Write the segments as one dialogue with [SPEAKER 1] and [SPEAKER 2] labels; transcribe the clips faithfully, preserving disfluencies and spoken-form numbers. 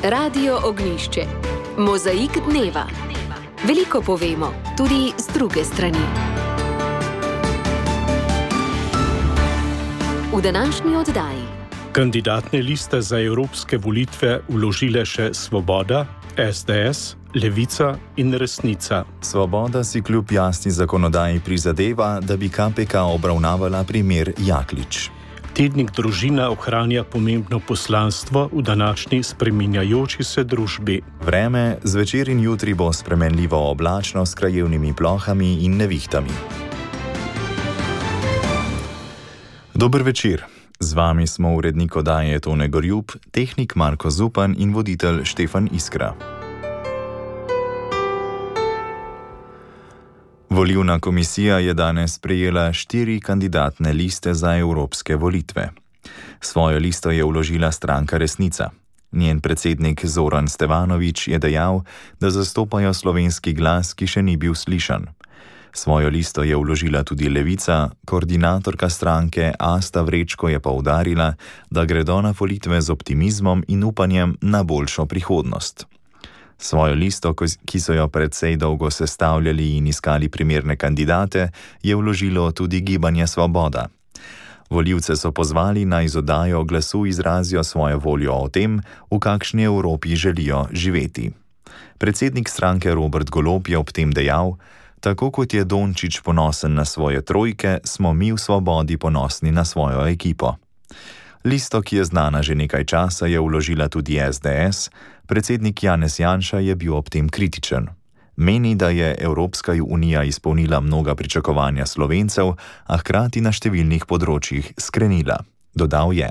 [SPEAKER 1] Radio Ognjišče. Mozaik dneva. Veliko povemo, tudi z druge strani. V današnji oddaji.
[SPEAKER 2] Kandidatne liste za evropske volitve vložile še Svoboda, es de es, Levica in Resnica.
[SPEAKER 3] Svoboda si kljub jasni zakonodaji prizadeva, da bi ka pe ka obravnavala primer Jaklič.
[SPEAKER 2] Tednik Družina ohranja pomembno poslanstvo v današnji spreminjajoči se družbi.
[SPEAKER 3] Vreme, zvečer in jutri bo spremenljivo oblačno s krajevnimi plohami in nevihtami. Dober večer. Z vami smo urednik oddaje Tone Gorjup, tehnik Marko Zupan in voditelj Štefan Iskra. Volilna komisija je danes prejela štiri kandidatne liste za evropske volitve. Svojo listo je vložila stranka Resnica. Njen predsednik Zoran Stevanović je dejal, da zastopajo slovenski glas, ki še ni bil slišan. Svojo listo je vložila tudi Levica, koordinatorka stranke Asta Vrečko je poudarila, da gredo na volitve z optimizmom in upanjem na boljšo prihodnost. Svojo listo, ki so jo precej dolgo sestavljali in iskali primerne kandidate, je vložilo tudi Gibanje Svoboda. Volivce so pozvali, naj z oddajo glasu izrazijo svojo voljo o tem, v kakšni Evropi želijo živeti. Predsednik stranke Robert Golob je ob tem dejal: tako kot je Dončić ponosen na svoje trojke, smo mi v Svobodi ponosni na svojo ekipo. Listo, ki je znana že nekaj časa, je vložila tudi es de es. Predsednik Janez Janša je bil ob tem kritičen. Meni, da je Evropska unija izpolnila mnoga pričakovanja Slovencev, a hkrati na številnih področjih skrenila. Dodal je: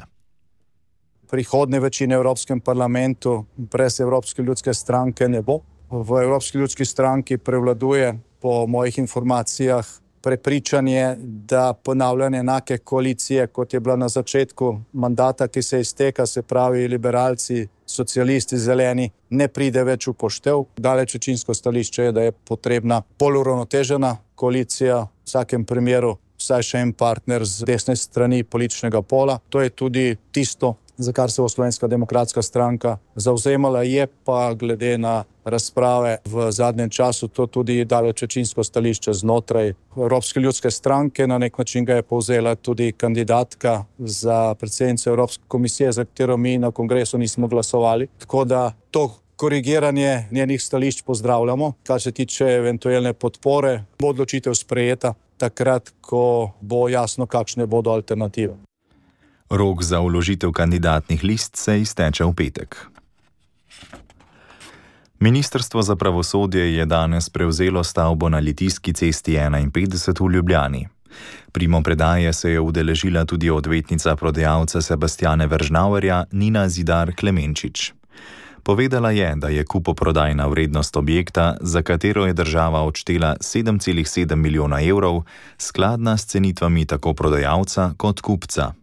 [SPEAKER 4] prihodne večine v Evropskem parlamentu brez Evropske ljudske stranke ne bo. V Evropski ljudski stranki prevladuje po mojih informacijah prepričanje, da ponavljanje enake koalicije, kot je bila na začetku mandata, ki se izteka, se pravi liberalci, socialisti, zeleni, ne pride več v poštev. Daleč večinsko stališče je, da je potrebna bolj uravnotežena koalicija, v vsakem primeru vsaj še en partner z desne strani političnega pola. To je tudi tisto, za kar se bo Slovenska demokratska stranka zavzemala, je pa glede na razprave v zadnjem času to tudi daleč večinsko stališče znotraj Evropske ljudske stranke. Na nek način ga je povzela tudi kandidatka za predsednico Evropske komisije, za katero mi na kongresu nismo glasovali. Tako da to korigiranje njenih stališč pozdravljamo. Kar se tiče eventualne podpore, bo odločitev sprejeta takrat, ko bo jasno, kakšne bodo alternative.
[SPEAKER 3] Rok za vložitev kandidatnih list se izteče v petek. Ministrstvo za pravosodje je danes prevzelo stavbo na Litijski cesti enainpetdeset v Ljubljani. Primopredaje se je udeležila tudi odvetnica prodajalca Sebastjana Veržnauerja Nina Zidar Klemenčič. Povedala je, da je kupoprodajna vrednost objekta, za katero je država odštela sedem celih sedem milijona evrov, skladna s cenitvami tako prodajalca kot kupca.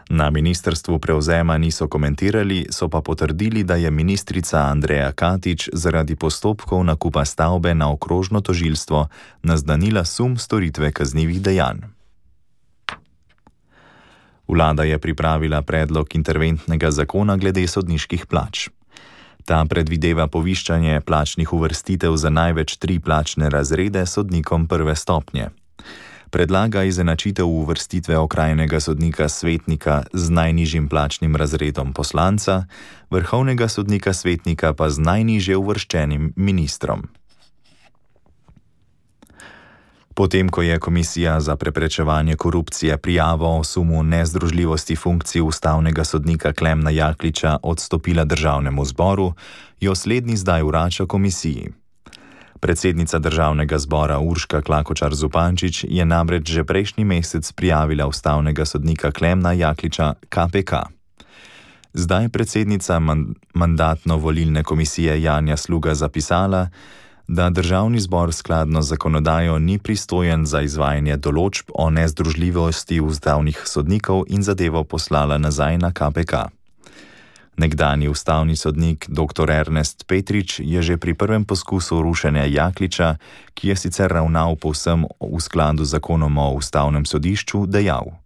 [SPEAKER 3] Na ministrstvu prevzema niso komentirali, so pa potrdili, da je ministrica Andreja Katič zaradi postopkov nakupa stavbe na okrožno tožilstvo naznanila sum storitve kaznivih dejanj. Vlada je pripravila predlog interventnega zakona glede sodniških plač. Ta predvideva poviščanje plačnih uvrstitev za največ tri plačne razrede sodnikom prve stopnje. Predlaga izenačitev uvrstitve okrajnega sodnika svetnika z najnižjim plačnim razredom poslanca, vrhovnega sodnika svetnika pa z najnižje uvrščenim ministrom. Potem, ko je Komisija za preprečevanje korupcije prijavo o sumu nezdružljivosti funkcij ustavnega sodnika Klemna Jakliča odstopila državnemu zboru, jo slednji zdaj vrača komisiji. Predsednica državnega zbora Urška Klakočar Zupančič je namreč že prejšnji mesec prijavila ustavnega sodnika Klemna Jakliča ka pe ka. Zdaj predsednica mandatno-volilne komisije Janja Sluga zapisala, da državni zbor skladno z zakonodajo ni pristojen za izvajanje določb o nezdružljivosti ustavnih sodnikov in zadevo poslala nazaj na ka pe ka. Nekdanji ustavni sodnik doktor Ernest Petrič je že pri prvem poskusu rušenja Jakliča, ki je sicer ravnal povsem v skladu z zakonom o ustavnem sodišču, dejal: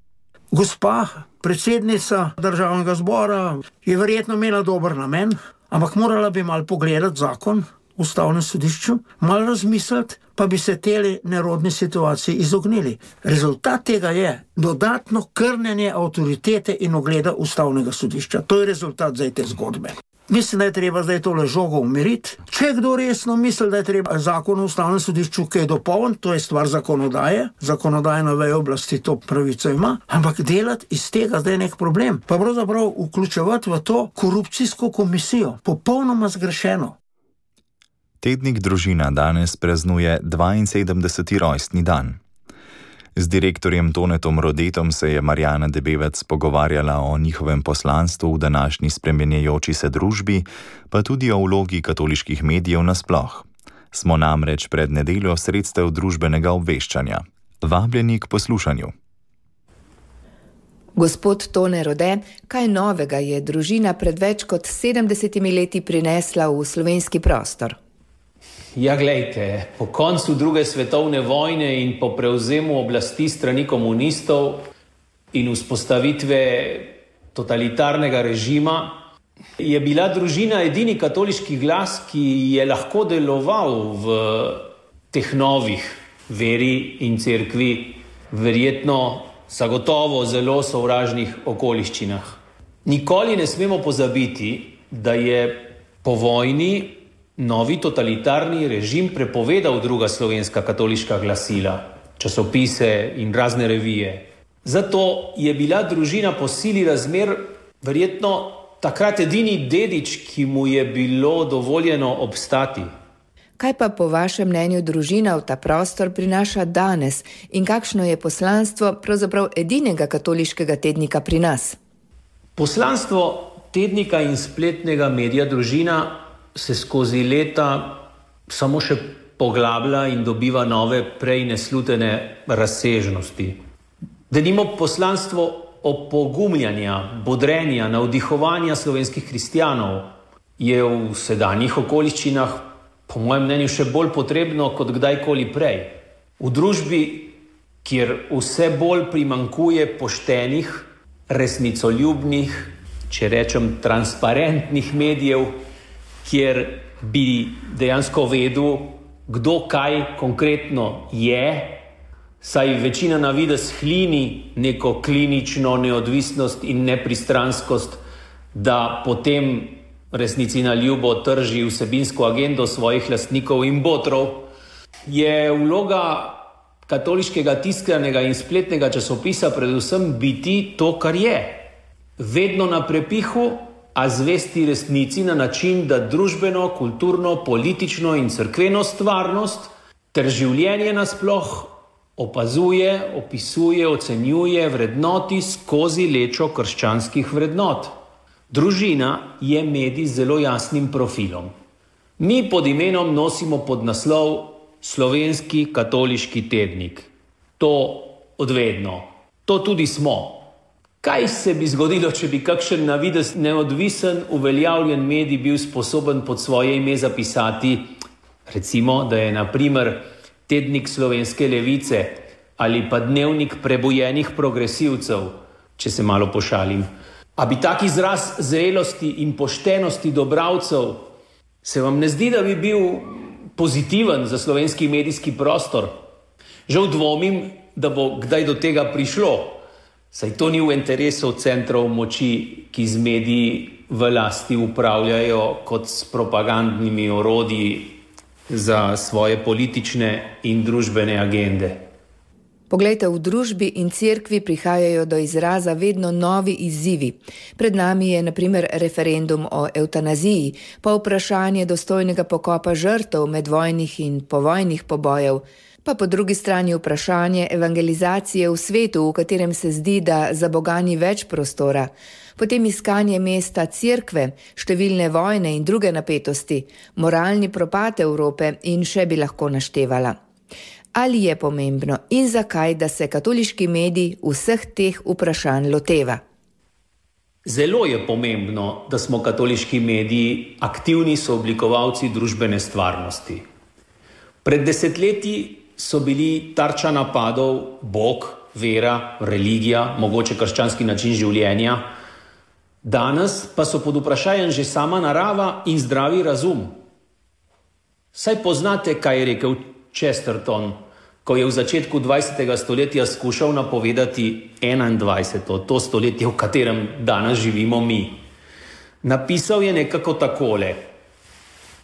[SPEAKER 5] Gospa predsednica državnega zbora je verjetno imela dober namen, ampak morala bi malo pogledati zakon v ustavnem sodišču, malo razmisliti, pa bi se teli nerodni situaciji izognili. Rezultat tega je dodatno krnenje avtoritete in ugleda ustavnega sodišča. To je rezultat zdaj te zgodbe. Mislim, da je treba zdaj tole žogo umiriti. Če kdo resno misli, da je treba zakon o ustavnem sodišču kaj dopolniti, to je stvar zakonodaje, zakonodajna veja oblasti to pravico ima, ampak delati iz tega zdaj nek problem, pa pravzaprav vključevati v to korupcijsko komisijo, popolnoma zgrešeno.
[SPEAKER 3] Tednik Družina danes praznuje dvainsedemdeseti rojstni dan. Z direktorjem Tonetom Rodetom se je Marjana Debevec pogovarjala o njihovem poslanstvu v današnji spremenjajoči se družbi, pa tudi o vlogi katoliških medijev nasploh. Smo namreč pred nedeljo sredstev družbenega obveščanja. Vabljeni k poslušanju.
[SPEAKER 1] Gospod Tone Rode, kaj novega je Družina pred več kot sedemdesetimi leti prinesla v slovenski prostor?
[SPEAKER 6] Ja, glejte, po koncu druge svetovne vojne in po prevzemu oblasti strani komunistov in vzpostavitve totalitarnega režima je bila Družina edini katoliški glas, ki je lahko deloval v teh novih veri in cerkvi, verjetno zagotovo zelo sovražnih okoliščinah. Nikoli ne smemo pozabiti, da je po vojni novi totalitarni režim prepovedal druga slovenska katoliška glasila, časopise in razne revije. Zato je bila Družina po sili razmer verjetno takrat edini dedič, ki mu je bilo dovoljeno obstati.
[SPEAKER 1] Kaj pa po vašem mnenju Družina v ta prostor prinaša danes in kakšno je poslanstvo pravzaprav edinega katoliškega tednika pri nas?
[SPEAKER 6] Poslanstvo tednika in spletnega medija Družina se skozi leta samo še poglablja in dobiva nove prej neslutene razsežnosti. Denimo poslanstvo opogumljanja, bodrenja, navdihovanja slovenskih kristjanov je v sedanjih okoliščinah po mojem mnenju še bolj potrebno kot kdajkoli prej. V družbi, kjer vse bolj primankuje poštenih, resnicoljubnih, če rečem transparentnih medijev, kjer bi dejansko vedel, kdo kaj konkretno je, saj večina na videz hlini neko klinično neodvisnost in nepristranskost, da potem resnici na ljubo trži vsebinsko agendo svojih lastnikov in botrov, je vloga katoliškega tiskanega in spletnega časopisa predvsem biti to, kar je. Vedno na prepihu, a zvesti resnici na način, da družbeno, kulturno, politično in cerkveno stvarnost ter življenje nasploh opazuje, opisuje, ocenjuje, vrednoti skozi lečo krščanskih vrednot. Družina je medij z zelo jasnim profilom. Mi pod imenom nosimo podnaslov Slovenski katoliški tednik. To odvedno. To tudi smo. Kaj se bi zgodilo, če bi kakšen na videz neodvisen, uveljavljen medij bil sposoben pod svoje ime zapisati, recimo, da je na primer tednik Slovenske levice ali pa dnevnik prebujenih progresivcev, če se malo pošalim. A bi tak izraz zrelosti in poštenosti do bralcev, se vam ne zdi, da bi bil pozitiven za slovenski medijski prostor? Žal dvomim, da bo kdaj do tega prišlo. Saj to ni v interesu centrov moči, ki z mediji v lasti upravljajo kot s propagandnimi orodji za svoje politične in družbene agende.
[SPEAKER 1] Poglejte, v družbi in cerkvi prihajajo do izraza vedno novi izzivi. Pred nami je na primer referendum o evtanaziji, pa vprašanje dostojnega pokopa žrtev medvojnih in povojnih pobojev, pa po drugi strani vprašanje evangelizacije v svetu, v katerem se zdi, da za Boga ni več prostora, potem iskanje mesta cerkve, številne vojne in druge napetosti, moralni propad Evrope in še bi lahko naštevala. Ali je pomembno in zakaj, da se katoliški medij vseh teh vprašanj loteva?
[SPEAKER 6] Zelo je pomembno, da smo katoliški mediji aktivni sooblikovalci družbene stvarnosti. Pred desetletji so bili tarča napadov Bog, vera, religija, mogoče krščanski način življenja. Danes pa so pod vprašanjem že sama narava in zdravi razum. Saj poznate, kaj je rekel Chesterton, ko je v začetku dvajsetega stoletja skušal napovedati enaindvajseto, to stoletje, v katerem danes živimo mi. Napisal je nekako takole: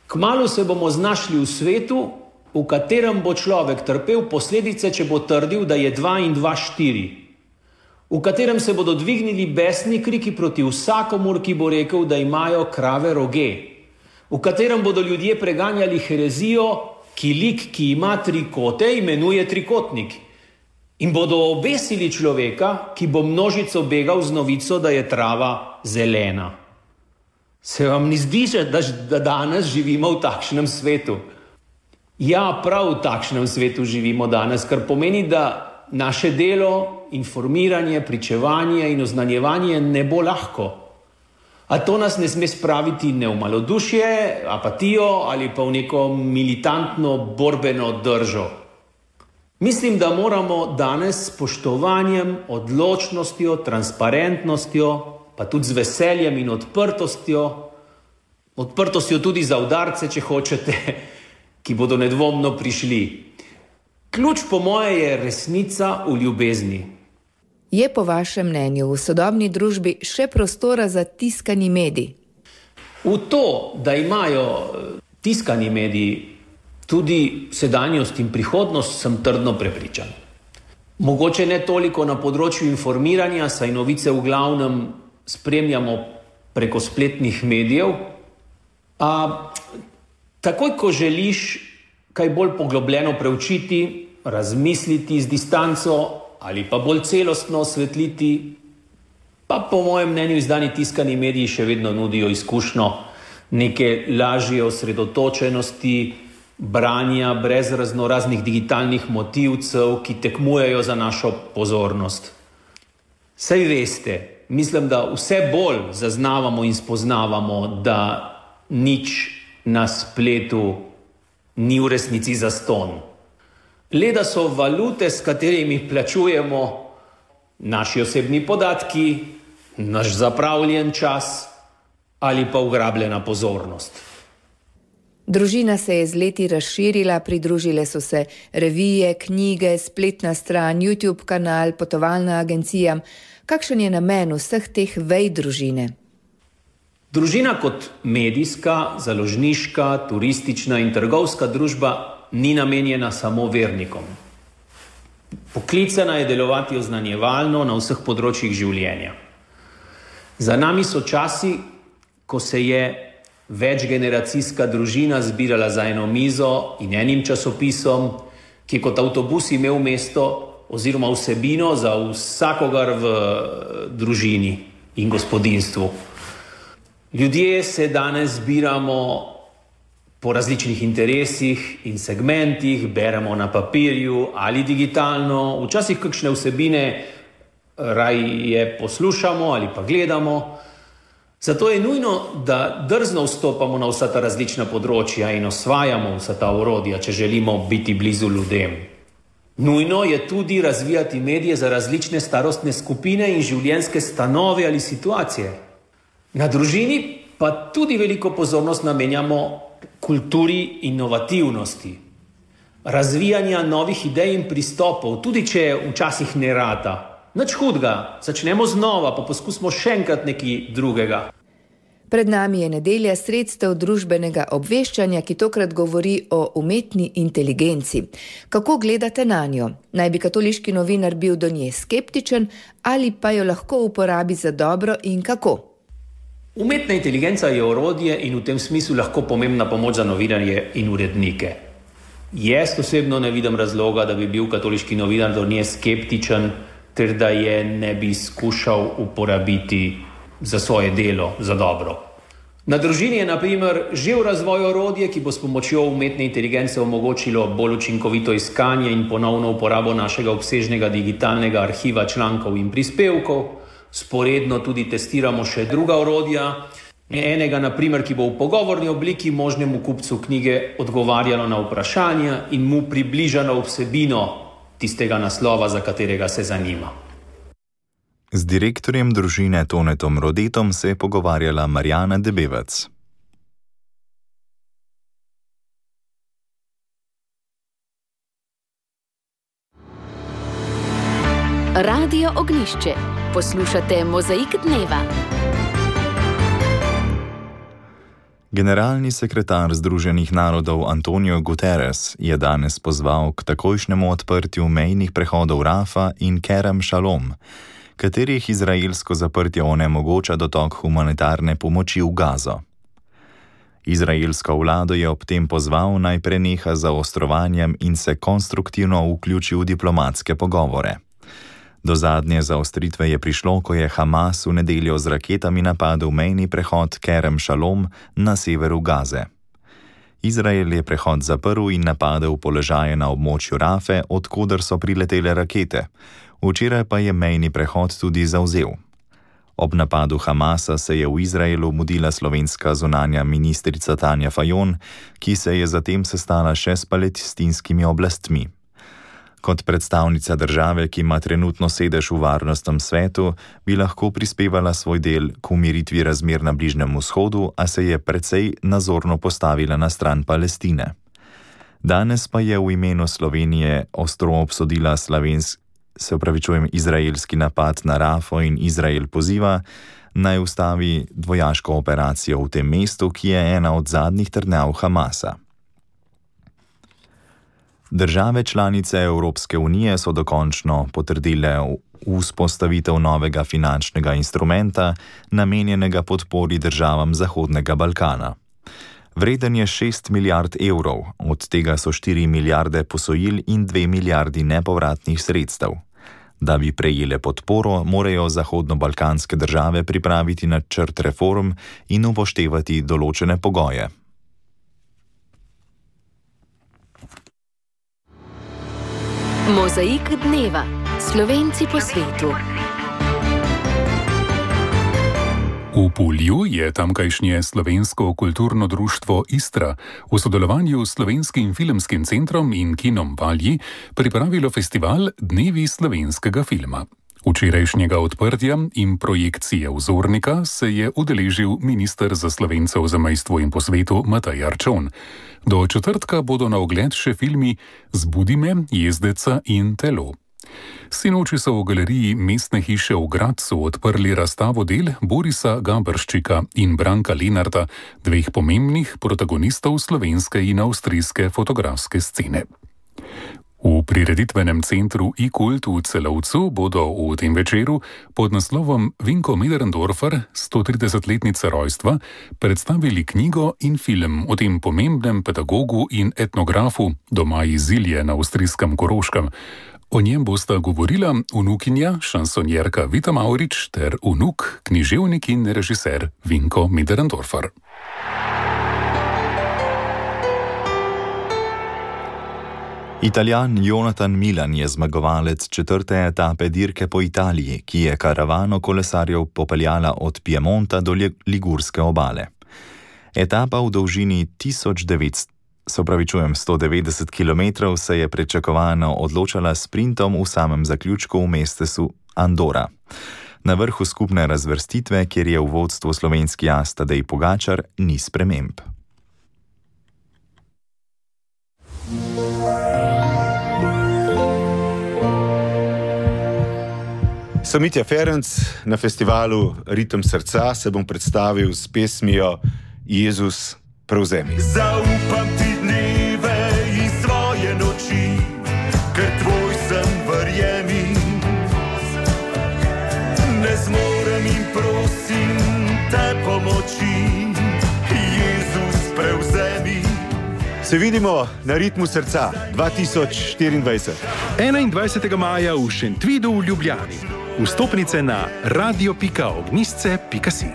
[SPEAKER 6] kmalu se bomo znašli v svetu, v katerem bo človek trpel posledice, če bo trdil, da je dva in dva štiri. V katerem se bodo dvignili besni kriki proti vsakomur, ki bo rekel, da imajo krave roge. V katerem bodo ljudje preganjali herezijo, ki lik, ki ima tri kote, imenuje trikotnik. In bodo obesili človeka, ki bo množico begal z novico, da je trava zelena. Se vam ni zdi, da, da danes živimo v takšnem svetu? Ja, prav v takšnem svetu živimo danes, kar pomeni, da naše delo, informiranje, pričevanje in oznanjevanje ne bo lahko. A to nas ne sme spraviti ne v malodušje, apatijo ali pa v neko militantno borbeno držo. Mislim, da moramo danes s spoštovanjem, odločnostjo, transparentnostjo, pa tudi z veseljem in odprtostjo, odprtostjo tudi za udarce, če hočete, ki bodo nedvomno prišli. Ključ po moje je resnica v ljubezni.
[SPEAKER 1] Je po vašem mnenju v sodobni družbi še prostora za tiskani medij?
[SPEAKER 6] V to, da imajo tiskani mediji tudi sedanjost in prihodnost, sem trdno prepričan. Mogoče ne toliko na področju informiranja, saj novice v glavnem spremljamo preko spletnih medijev, a takoj, ko želiš kaj bolj poglobljeno preučiti, razmisliti z distanco ali pa bolj celostno osvetliti, pa po mojem mnenju izdani tiskani mediji še vedno nudijo izkušnjo neke lažje osredotočenosti, branja brez raznoraznih digitalnih motivcev, ki tekmujejo za našo pozornost. Saj veste, mislim, da vse bolj zaznavamo in spoznavamo, da nič na spletu ni v resnici zastonj. Le da so valute, s katerimi plačujemo, naši osebni podatki, naš zapravljen čas ali pa ugrabljena pozornost.
[SPEAKER 1] Družina se je z leti razširila, pridružile so se revije, knjige, spletna stran, YouTube kanal, potovalna agencija. Kakšen je namen vseh teh vej družine?
[SPEAKER 6] Družina kot medijska, založniška, turistična in trgovska družba ni namenjena samo vernikom. Poklicana je delovati oznanjevalno na vseh področjih življenja. Za nami so časi, ko se je večgeneracijska družina zbirala za eno mizo in enim časopisom, ki je kot avtobus imel mesto oziroma vsebino za vsakogar v družini in gospodinjstvu. Ljudje se danes zbiramo po različnih interesih in segmentih, beremo na papirju ali digitalno, včasih kakšne vsebine raje poslušamo ali pa gledamo. Zato je nujno, da drzno vstopamo na vsa ta različna področja in osvajamo vsa ta orodja, če želimo biti blizu ljudem. Nujno je tudi razvijati medije za različne starostne skupine in življenjske stanove ali situacije. Na družini pa tudi veliko pozornost namenjamo kulturi inovativnosti, razvijanja novih idej in pristopov, tudi če včasih ne rata. Nič hudega, začnemo znova, pa poskusimo še enkrat nekaj drugega.
[SPEAKER 1] Pred nami je nedelja sredstev družbenega obveščanja, ki tokrat govori o umetni inteligenci. Kako gledate na njo? Naj bi katoliški novinar bil do nje skeptičen ali pa jo lahko uporabi za dobro in kako?
[SPEAKER 6] Umetna inteligenca je orodje in v tem smislu lahko pomembna pomoč za novinarje in urednike. Jaz osebno ne vidim razloga, da bi bil katoliški novinar do nje skeptičen, ter da je ne bi skušal uporabiti za svoje delo, za dobro. Na družini je na primer že v razvoju orodje, ki bo s pomočjo umetne inteligence omogočilo bolj učinkovito iskanje in ponovno uporabo našega obsežnega digitalnega arhiva člankov in prispevkov. Sporedno tudi testiramo še druga orodja, enega na primer, ki bo v pogovorni obliki možnemu kupcu knjige odgovarjalo na vprašanja in mu približalo vsebino tistega naslova, za katerega se zanima.
[SPEAKER 3] Z direktorjem družine Tonetom Rodetom se je pogovarjala Marjana Debevec.
[SPEAKER 7] Radio Ognjišče. Poslušate Mozaik dneva.
[SPEAKER 3] Generalni sekretar Združenih narodov Antonio Guterres je danes pozval k takojšnjemu odprtju mejnih prehodov Rafa in Kerem Šalom, katerih izraelsko zaprtje onemogoča dotok humanitarne pomoči v Gazo. Izraelsko vlado je ob tem pozval, naj preneha z zaostrovanjem in se konstruktivno vključi v diplomatske pogovore. Do zadnje zaostritve je prišlo, ko je Hamas v nedeljo z raketami napadel mejni prehod Kerem Šalom na severu Gaze. Izrael je prehod zaprl in napadel položaje na območju Rafe, odkoder so priletele rakete. Včeraj pa je mejni prehod tudi zavzel. Ob napadu Hamasa se je v Izraelu mudila slovenska zunanja ministrica Tanja Fajon, ki se je zatem sestala še s palestinskimi oblastmi. Kot predstavnica države, ki ima trenutno sedež v Varnostnem svetu, bi lahko prispevala svoj del k umiritvi razmer na Bližnjem vzhodu, a se je precej nazorno postavila na stran Palestine. Danes pa je v imenu Slovenije ostro obsodila slovenski, se upravičujem, izraelski napad na Rafo in Izrael poziva, naj ustavi vojaško operacijo v tem mestu, ki je ena od zadnjih trdnjav Hamasa. Države članice Evropske unije so dokončno potrdile vzpostavitev novega finančnega instrumenta, namenjenega podpori državam Zahodnega Balkana. Vreden je šest milijard evrov, od tega so štiri milijarde posojil in dve milijardi nepovratnih sredstev. Da bi prejele podporo, morajo zahodnobalkanske države pripraviti načrt reform in upoštevati določene pogoje.
[SPEAKER 7] Mozaik dneva. Slovenci po svetu.
[SPEAKER 8] V Pulju je tamkajšnje slovensko kulturno društvo Istra v sodelovanju s Slovenskim filmskim centrom in kinom Valji pripravilo festival Dnevi slovenskega filma. Včerajšnjega odprtja in projekcije vzornika se je udeležil minister za Slovence v zamejstvu in po svetu Matej Arčon. Do četrtka bodo na ogled še filmi Zbudi me, Jezdeca in Telo. Sinoči so v galeriji Mestne hiše v Gradcu odprli razstavo del Borisa Gabrščika in Branka Lenarta, dveh pomembnih protagonistov slovenske in avstrijske fotografske scene. V prireditvenem centru iKult v Celovcu bodo v tem večeru pod naslovom Vinko Möderndorfer, stotridesetletnica rojstva, predstavili knjigo in film o tem pomembnem pedagogu in etnografu doma iz Ilje na avstrijskem Koroškem. O njem bosta govorila vnukinja, šansonjerka Vita Mavrič ter vnuk, književnik in režiser Vinko Möderndorfer.
[SPEAKER 3] Italijan Jonathan Milan je zmagovalec četrte etape dirke po Italiji, ki je karavano kolesarjev popeljala od Piemonta do Ligurske obale. Etapa v dolžini tisoč devetsto, se opravičujem, sto devetdeset kilometrov se je pričakovano odločala s sprintom v samem zaključku v mestecu Andora. Na vrhu skupne razvrstitve, kjer je v vodstvu slovenski as Tadej Pogačar, ni sprememb.
[SPEAKER 9] Sem Mitja Ferenc, na festivalu Ritem srca se bom predstavil s pesmijo Jezus prevzemi.
[SPEAKER 10] Zaupam ti dneve in svoje noči, ker tvoj sem, verjemi. Ne zmorem in prosim te pomoči, Jezus prevzemi.
[SPEAKER 9] Se vidimo na Ritmu srca dva tisoč štiriindvajset.
[SPEAKER 2] enaindvajsetega maja v Šentvidu v Ljubljani. Vstopnice na radio pika ognjišče pika si.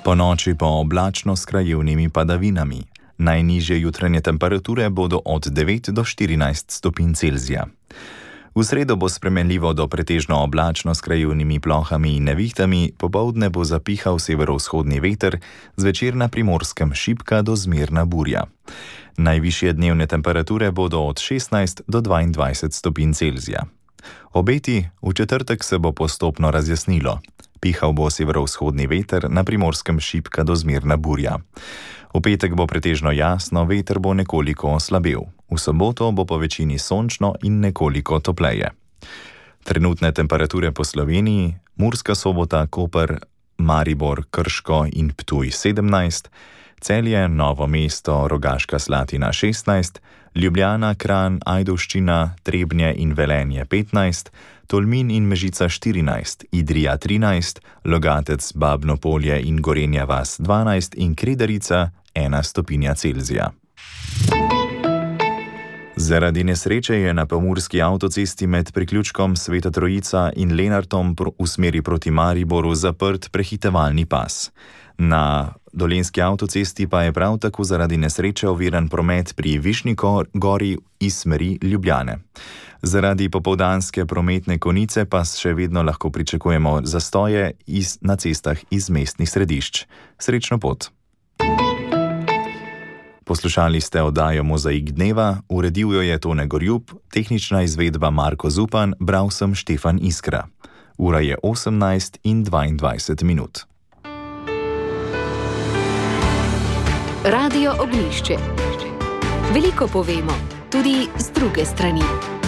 [SPEAKER 3] Po noči pa oblačno s krajevnimi padavinami. Najnižje jutranje temperature bodo od devet do štirinajst stopinj Celzija. V sredo bo spremenljivo do pretežno oblačno s krajevnimi plohami in nevihtami, popoldne bo zapihal severovzhodni veter, zvečer na Primorskem šibka do zmerna burja. Najvišje dnevne temperature bodo od šestnajst do dvaindvajset stopinj Celzija. Obeti: v četrtek se bo postopno razjasnilo. Pihal bo severovzhodni veter, na Primorskem šibka do zmerna burja. V petek bo pretežno jasno, veter bo nekoliko oslabel. V soboto bo po večini sončno in nekoliko topleje. Trenutne temperature po Sloveniji: Murska Sobota, Koper, Maribor, Krško in Ptuj sedemnajst, Celje, Novo mesto, Rogaška Slatina šestnajst, Ljubljana, Kranj, Ajdovščina, Trebnje in Velenje petnajst, Tolmin in Mežica štirinajst, Idrija trinajst, Logatec, Babno Polje in Gorenja vas dvanajst in Kredarica ena stopinja Celzija. Zaradi nesreče je na pomurski avtocesti med priključkom Sveta Trojica in Lenartom v smeri proti Mariboru zaprt prehitevalni pas. Na Dolenjski avtocesti pa je prav tako zaradi nesreče oviran promet pri Višnji gori iz smeri Ljubljane. Zaradi popoldanske prometne konice pa še vedno lahko pričakujemo zastoje iz, na cestah iz mestnih središč. Srečno pot! Poslušali ste oddajo Mozaik dneva, uredil jo je Tone Gorjub, tehnična izvedba Marko Zupan, bral sem Štefan Iskra. Ura je osemnajst in dvaindvajset minut.
[SPEAKER 7] Radio Ognjišče. Veliko povemo, tudi z druge strani.